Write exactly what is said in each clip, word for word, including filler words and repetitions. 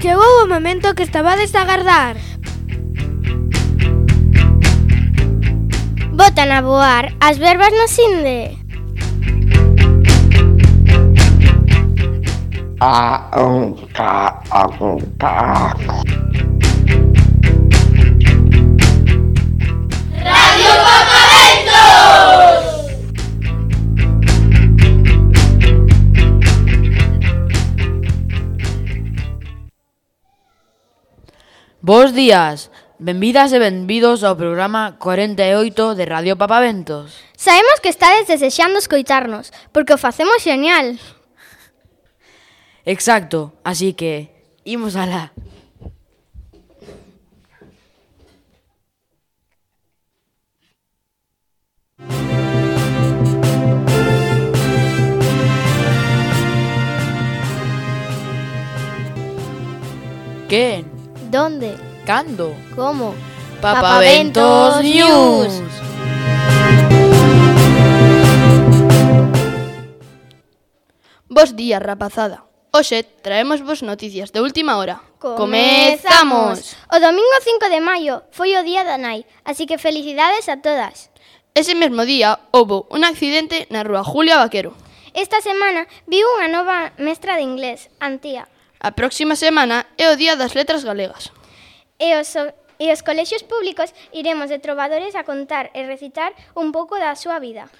Chegou o momento que estabades a agardar. Botan a voar as verbas no Sinde. A, um, ca, a, um, ca. Radio Papaventos! Bos días, benvidas e benvidos ao programa cuarenta e oito de Radio Papaventos. Sabemos que estades desexando escoitarnos, porque o facemos genial. Exacto, así que imos alá. Quen? Donde? Cando? Como? Papaventos News. Bos días, rapazada. Hoxe traemos vos noticias de última hora. ¡Comezamos! O domingo cinco de maio foi o día da nai, así que felicidades a todas. Ese mesmo día houbo un accidente na rúa Julia Vaquero. Esta semana viu unha nova mestra de inglés, Antía. A próxima semana é o día das letras galegas. E os, e os colexios públicos iremos de trovadores a contar e recitar un pouco da súa vida.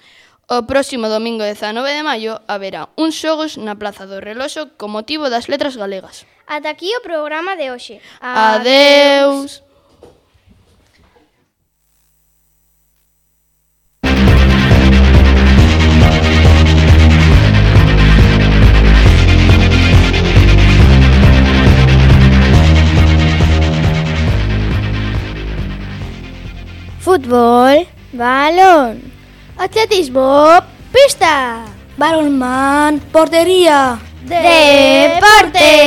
O próximo domingo dezanove de maio haberá uns xogos na Plaza do Reloxo con motivo das letras galegas. Ata aquí o programa de hoxe. Adeus! Fútbol, balón, atletismo, pista, Balonmán, portería. deportes.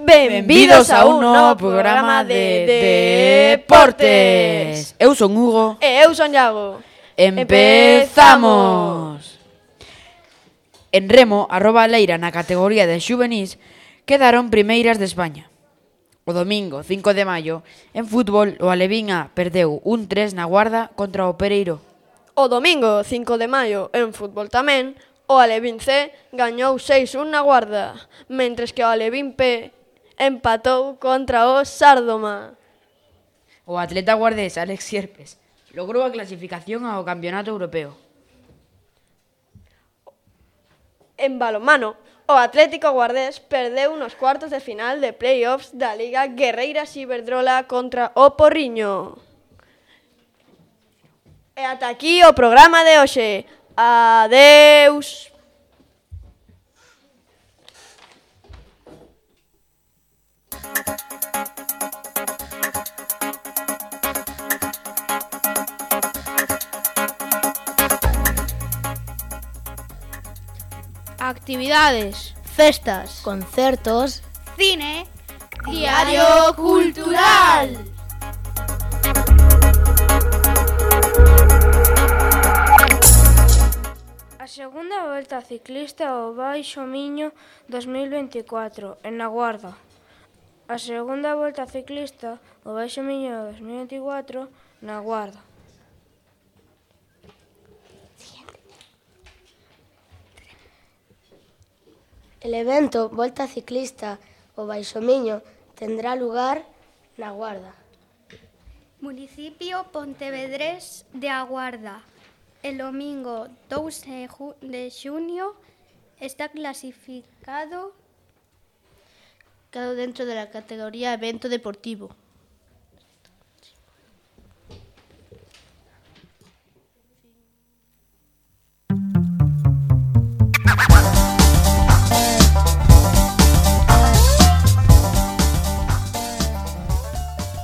Benvidos a un novo programa de deportes. Eu son Hugo. E eu son Iago. Empezamos. En remo, a Roba Leira na categoría de xuvenís quedaron primeiras de España. O domingo, cinco de maio, en fútbol, o Alevín A perdeu un tres na Guarda contra o Pereiro. O domingo, cinco de maio, en fútbol tamén, o Alevín C gañou seis un na Guarda, mentres que o Alevín P empatou contra o Sárdoma. O atleta guardés Alex Sierpes logrou a clasificación ao Campeonato Europeo. En balonmano, o Atlético Guardés perdeu nos cuartos de final de playoffs da Liga Guerreiras Iberdrola contra o Porriño. E ata aquí o programa de hoxe. Adeus! Actividades, Festas, concertos, cine, Diario Cultural. a segunda volta ciclista ao Baixo Miño dos mil veinticuatro, en La Guarda. A segunda volta ciclista ao Baixo Miño dos mil veinticuatro, na Guarda. El evento Volta Ciclista ao Baixo Miño tendrá lugar na Guarda. Municipio pontevedrés de A Guarda. El domingo dous de xunio está clasificado Quedó dentro de la categoría evento deportivo.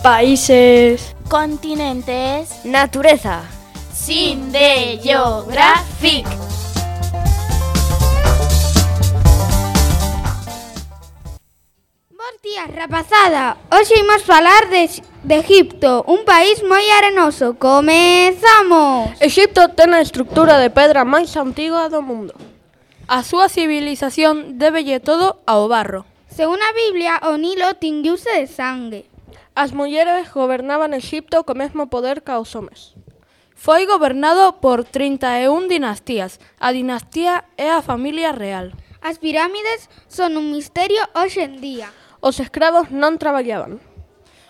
Países, continentes, natureza. Sinde Geographic. Bos días, rapazada. Hoxe imos falar de, de Egipto, un país moi arenoso. Comezamos! Egipto ten a estructura de pedra máis antiga do mundo. A súa civilización débelle todo ao barro. Según a Biblia, o Nilo tinguiuse de sangue. As mulleres gobernaban Egipto co mesmo poder ca os homes. Foi gobernado por trinta e un dinastías. A dinastía é a familia real. As pirámides son un misterio hoxe en día. Os escravos non traballaban.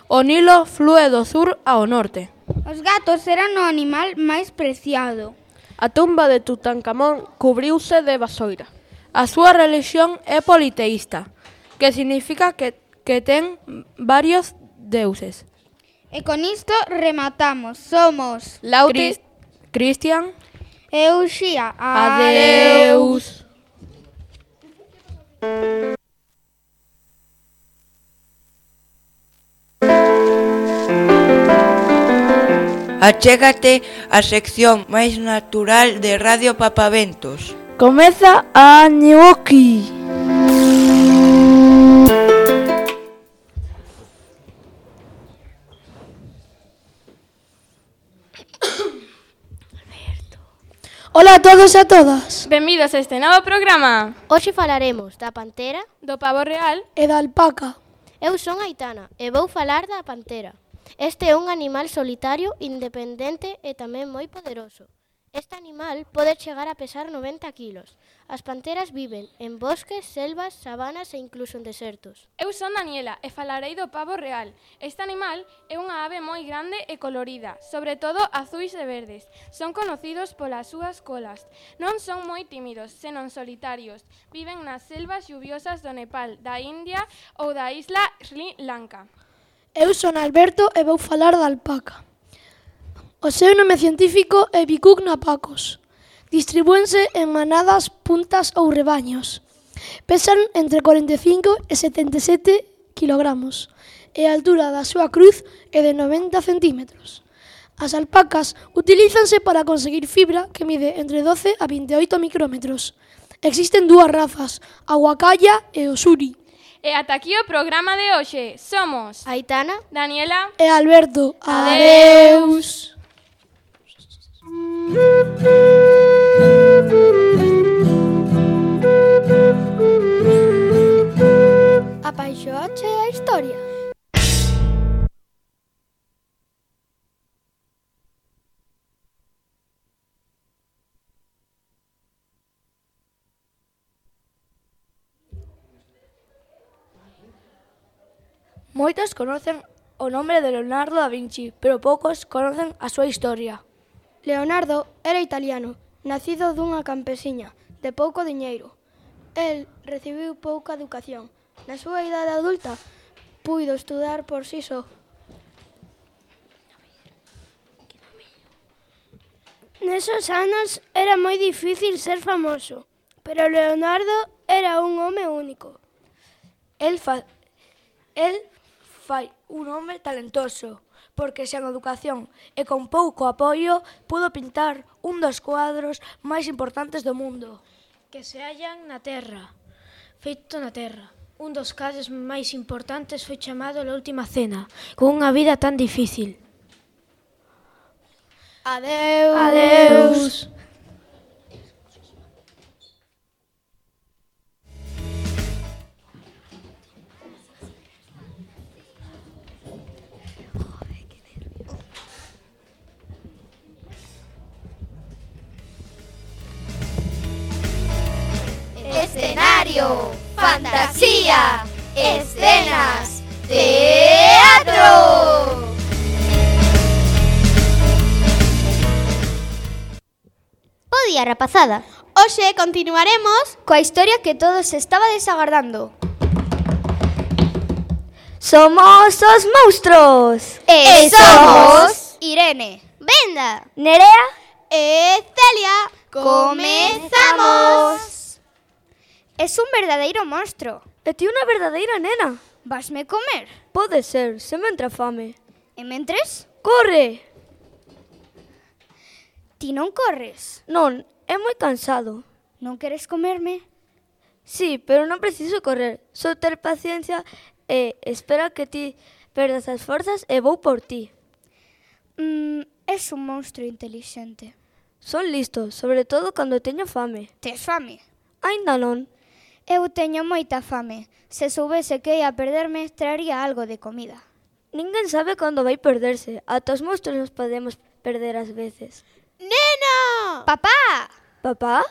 O Nilo flúe do sur ao norte. Os gatos eran o animal máis preciado. A tumba de Tutankamón cubriuse de vasoira. A súa religión é politeísta, que significa que, que ten varios deuses. E con isto rematamos. Somos Lauti, Cristian e Uxía. Adeus. Achégate a sección máis natural de Radio Papaventos. Comeza a Ñuoqui. Ola a todos e a todas. Benvidos a este novo programa. Hoxe falaremos da pantera, do pavo real e da alpaca. Eu son Aitana e vou falar da pantera. Este é un animal solitario, independente e tamén moi poderoso. Este animal pode chegar a pesar noventa quilos. As panteras viven en bosques, selvas, sabanas e incluso en desertos. Eu son Daniela e falarei do pavo real. Este animal é unha ave moi grande e colorida, sobre todo azuis e verdes. Son conocidos polas súas colas. Non son moi tímidos, senón solitarios. Viven nas selvas lluviosas do Nepal, da India ou da isla Sri Lanka. Eu son Alberto e vou falar da alpaca. O seu nome científico é Vicuña napacus. Distribúense en manadas, puntas ou rebaños. Pesan entre cuarenta e cinco e setenta e sete kilogramos e a altura da súa cruz é de noventa centímetros. As alpacas utilízanse para conseguir fibra que mide entre doce a veintioito micrómetros. Existen dúas razas, a huacaya e o suri. E ata aquí o programa de hoxe. Somos Aitana, Daniela e Alberto. Adeus. Apaixoache a historia. Moitos conocen o nome de Leonardo da Vinci, pero poucos conocen a súa historia. Leonardo era italiano, nacido dunha campesiña, de pouco diñeiro. El recibiu pouca educación. Na súa idade adulta, puido estudar por si só. Nesos anos era moi difícil ser famoso, pero Leonardo era un home único. El, fa... El fai un home talentoso, porque sen educación e con pouco apoio pudo pintar un dos cuadros máis importantes do mundo. Que se hallan na Terra, feito na Terra. Un dos cadros máis importantes foi chamado La Última Cena, con unha vida tan difícil. Adeus. Adeus. Escenario, fantasía, escenas, teatro. Bo día, rapazada. Hoxe continuaremos coa historia que todos estabades agardando. Somos os monstruos. E somos Irene, Brenda, Nerea e Celia. Comezamos. Es un verdadeiro monstro. E ti unha verdadeira nena. Vasme comer? Pode ser, se me entra fame. E mentres? Corre! Ti non corres? Non, é moi cansado. Non queres comerme? Sí, pero non preciso correr. Só ter paciencia e espera que ti perdas as forzas e vou por ti. Mm, es un monstro intelixente. Son listo, sobre todo cando teño fame. Tes fame? Ainda non. Eu teño moita fame. Se soubese que ia perderme, traería algo de comida. Ninguén sabe cando vai perderse. Ata os monstros nos podemos perder ás veces. Nena! Papá! Papá?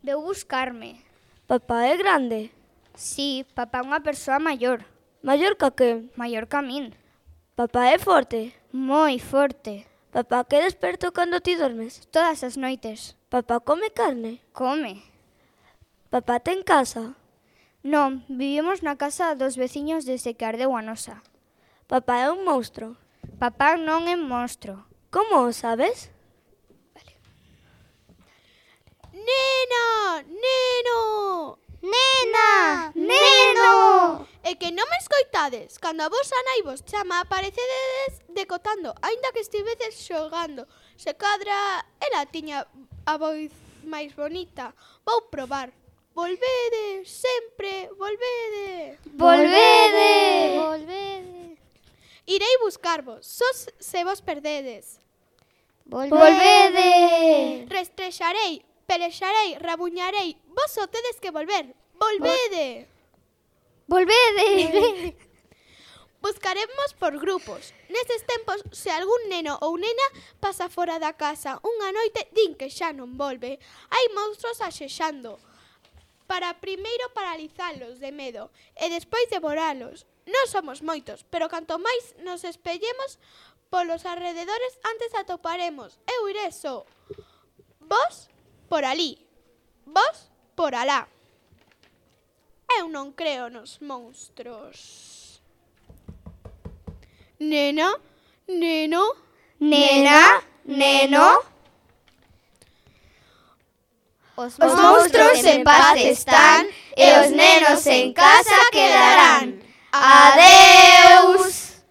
Veu buscarme. Papá é grande? Sí, papá é unha persoa maior. Maior ca que? Maior ca min. Papá é forte? Moi forte. Papá que desperto cando ti dormes? Todas as noites. Papá come carne? Come. Papá ten casa? Non, vivimos na casa dos veciños desde que ardeu a nosa. Papá é un monstro? Papá non é monstro. Como o sabes? Vale. Nena! Neno! Nena! Neno! É que non me escoitades. Cando a vosa nai vos chama, aparecedes decotando, aínda que estivedes xogando. Se cadra, ela tiña a voz máis bonita. Vou probar. Volvede, sempre, volvede. Volvede! Volvede. Irei buscarvos, sos se vos perdedes. Volvede! Restrexarei, pelexarei, rabuñarei. Vos só tedes que volver. Volvede. Volvede. Buscaremos por grupos. Neses tempos, se algún neno ou nena pasa fora da casa unha noite, din que xa non volve. Hai monstros axexando. Para primeiro paralizalos de medo e despois devoralos. Non somos moitos, pero canto máis nos espellemos polos arrededores, antes atoparemos. Eu iré só. Vos por ali. Vos por alá. Eu non creo nos monstros. Nena? Neno? Nena? Neno? Os monstros en paz están e os nenos en casa quedarán. Adeus!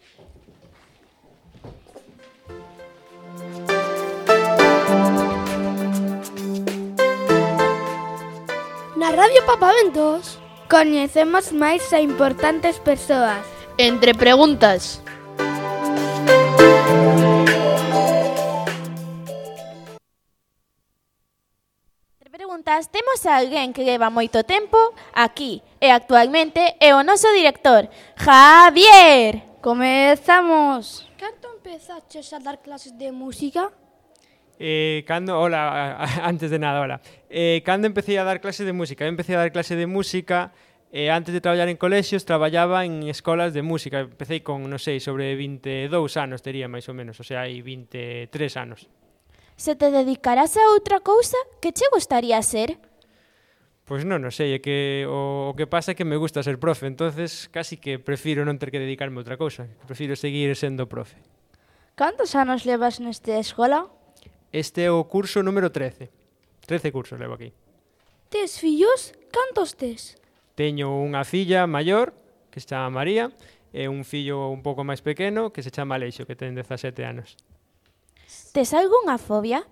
Na Radio Papaventos coñecemos máis a importantes persoas. Entre preguntas. Entre preguntas, temos a alguén que leva moito tempo aquí e actualmente é o noso director, Javier. Comezamos. Canto empezaches a dar clases de música? Eh, cando, hola, antes de nada, hola. Eh, cando empecé a dar clase de música, eu empecé a dar clase de música e eh, antes de traballar en colexios traballaba en escolas de música. Empecé con, non sei, sobre vinte e dous anos tería máis ou menos, o sea, hai vinte e tres anos. Se te dedicarás a outra cousa, que che gustaría ser? Pois non, non sei, é que o, o que pasa é que me gusta ser profe, entonces casi que prefiro non ter que dedicarme a outra cousa, prefiro seguir sendo profe. Cantos anos levas nesta escola? Este é o curso número trece. trece cursos levo aquí. Tes fillos? Cantos tes? Teño unha filla maior, que se chama María, e un fillo un pouco máis pequeno, que se chama Aleixo, que ten dezasete anos. Tes algunha fobia?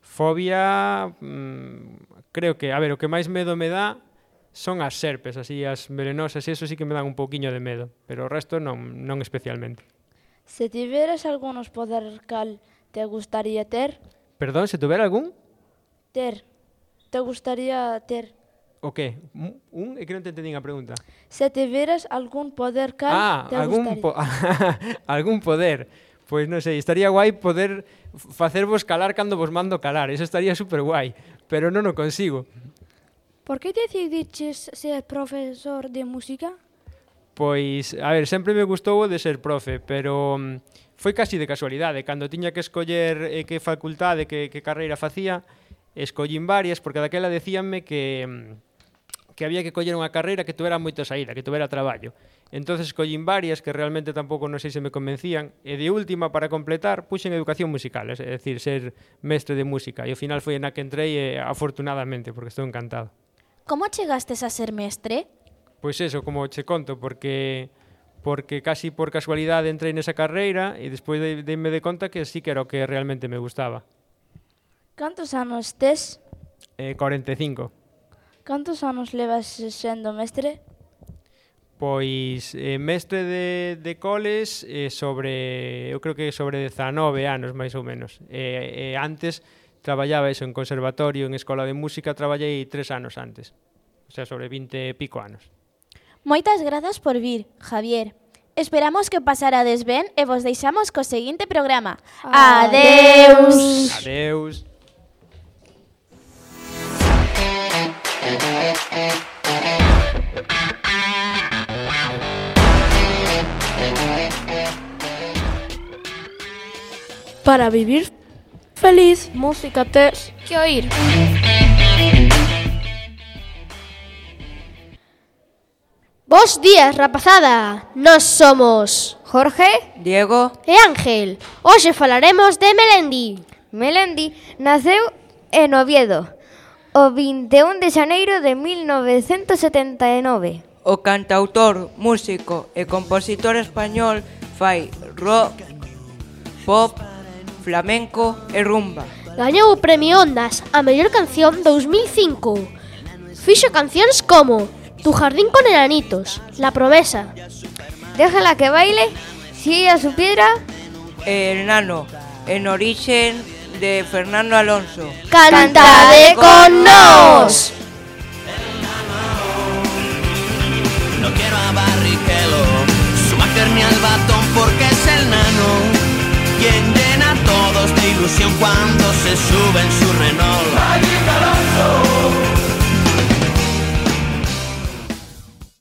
Fobia, mmm, creo que, a ver, o que máis medo me dá son as serpes, así as venenosas, e eso sí que me dan un pouquiño de medo, pero o resto non, non especialmente. Se tiveras algúns poder cal te gustaría ter? Perdón, se tuvera algún? Ter. Te gustaría ter? O que? Un? un? É que non te entendín a pregunta. Se tiveras algún poder cal ah, te algún gustaría? Po algún poder. Pois non sei, estaría guai poder facervos calar cando vos mando calar. Eso estaría super guai, pero non o consigo. Por que decidiches ser profesor de música? Pois, a ver, sempre me gustou o de ser profe, pero um, foi casi de casualidade. Cando tiña que escoller eh, que facultade, que, que carreira facía, escollín varias, porque daquela decíanme que, que había que coller unha carreira que tuvera moita saída, que tuvera traballo. Entonces escollín varias que realmente tampouco non sei se me convencían, e de última, para completar, puxen educación musical, é dicir, ser mestre de música, e ao final foi na que entrei, e, afortunadamente, porque estou encantado. Como chegastes a ser mestre? Pois eso, como che conto, porque porque casi por casualidade entrei nesa carreira e despois de, deime de conta que sí que era o que realmente me gustaba. Cantos anos tes? Eh, cuarenta e cinco. Cantos anos levas sendo mestre? Pois eh, mestre de, de coles eh, sobre, eu creo que sobre dezanove anos, máis ou menos. E eh, eh, antes traballaba eso en conservatorio, en escola de música, traballei tres anos antes. O sea, sobre vinte e pico anos. Moitas grazas por vir, Javier. Esperamos que pasarades ben e vos deixamos co seguinte programa. Adeus! Adeus! Para vivir feliz, música tes que oír. Bos días, rapazada. Nós somos Jorge, Diego e Ángel. Hoxe falaremos de Melendi. Melendi naceu en Oviedo o vinte e un de xaneiro de mil novecentos setenta e nove. O cantautor, músico e compositor español fai rock, pop, flamenco e rumba. Gañou o Premio Ondas a mellor canción dous mil cinco. Fixo cancións como Tu jardín con enanitos, La promesa, Déjala que baile, Si ella supiera, El nano, en origen de Fernando Alonso. Cantade con nós. No quiero a Barrichello, subaterme al batón porque es el nano quien llena a todos de ilusión cuando